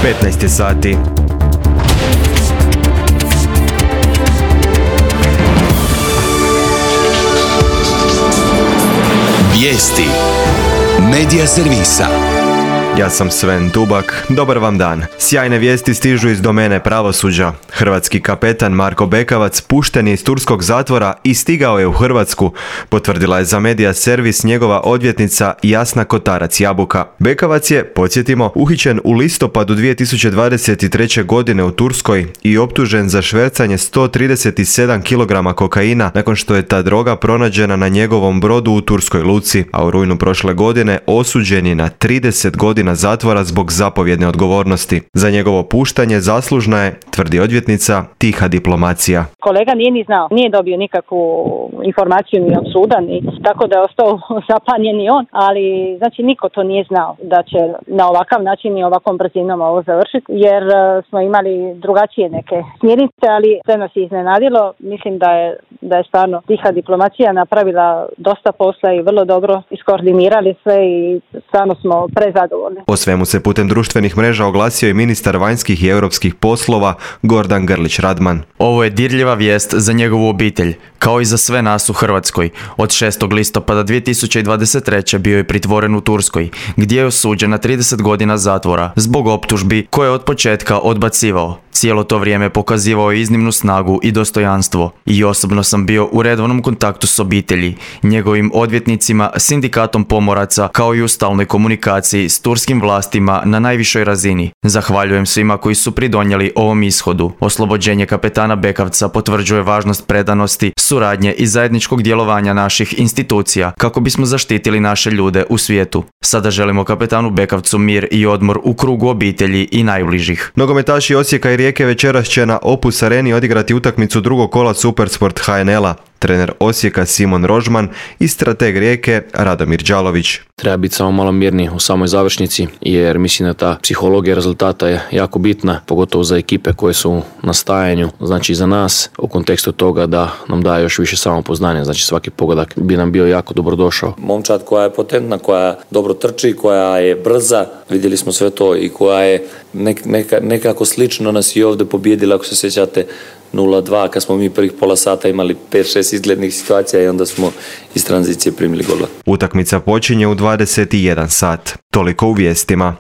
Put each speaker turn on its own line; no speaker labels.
15 je sati.
Vijesti Medija servisa.
Ja sam Sven Tubak, dobar vam dan. Sjajne vijesti stižu iz domene pravosuđa. Hrvatski kapetan Marko Bekavac pušten je iz turskog zatvora i stigao je u Hrvatsku, potvrdila je za Medija servis njegova odvjetnica Jasna Kotarac-Jabuka. Bekavac je, podsjetimo, uhićen u listopadu 2023. godine u Turskoj i optužen za švercanje 137 kg kokaina nakon što je ta droga pronađena na njegovom brodu u turskoj luci, a u rujnu prošle godine osuđen je na 30 godina zatvora zbog zapovjedne odgovornosti. Za njegovo puštanje zaslužna je, tvrdi odvjetnica, tiha diplomacija.
Kolega nije ni znao, nije dobio nikakvu informaciju ni od suda, tako da je ostao zapanjen i on, ali znači niko to nije znao da će na ovakav način i ovakvom brzinom ovo završiti, jer smo imali drugačije neke smjernice, ali sve nas je iznenadilo. Mislim da je stvarno tiha diplomacija napravila dosta posla i vrlo dobro iskoordinirali sve i stvarno smo prezadovoljni.
O svemu se putem društvenih mreža oglasio i ministar vanjskih i europskih poslova Gordan Grlić Radman.
Ovo je dirljiva vijest za njegovu obitelj, kao i za sve nas u Hrvatskoj. Od 6. listopada 2023. bio je pritvoren u Turskoj, gdje je osuđen na 30 godina zatvora zbog optužbi koje je od početka odbacivao. Cijelo to vrijeme pokazivao je iznimnu snagu i dostojanstvo. I osobno sam bio u redovnom kontaktu s obitelji, njegovim odvjetnicima, sindikatom pomoraca, kao i u stalnoj komunikaciji s turskim vlastima na najvišoj razini. Zahvaljujem svima koji su pridonijeli ovom ishodu. Oslobođenje kapetana Bekavca potvrđuje važnost predanosti, suradnje i zajedničkog djelovanja naših institucija kako bismo zaštitili naše ljude u svijetu. Sada želimo kapetanu Bekavcu mir i odmor u krugu obitelji i najbližih.
Nogometaši Osijeka i Rijeke večeras će na Opus Areni odigrati utakmicu drugog kola Supersport HNL-a. Trener Osijeka Simon Rožman i strateg Rijeke Radomir Đalović.
Treba biti samo malo mirniji u samoj završnici, jer mislim da ta psihologija rezultata je jako bitna, pogotovo za ekipe koje su na stajanju, znači za nas, u kontekstu toga da nam daje još više samopoznanja, znači svaki pogodak bi nam bio jako dobro došao.
Momčad koja je potentna, koja dobro trči, koja je brza, vidjeli smo sve to, i koja je nekako slično nas i ovdje pobijedila, ako se sjećate, 0-2, kad smo mi prvih pola sata imali 5-6 izglednih situacija i onda smo iz tranzicije primili gola.
Utakmica počinje u 21 sat. Toliko u vijestima.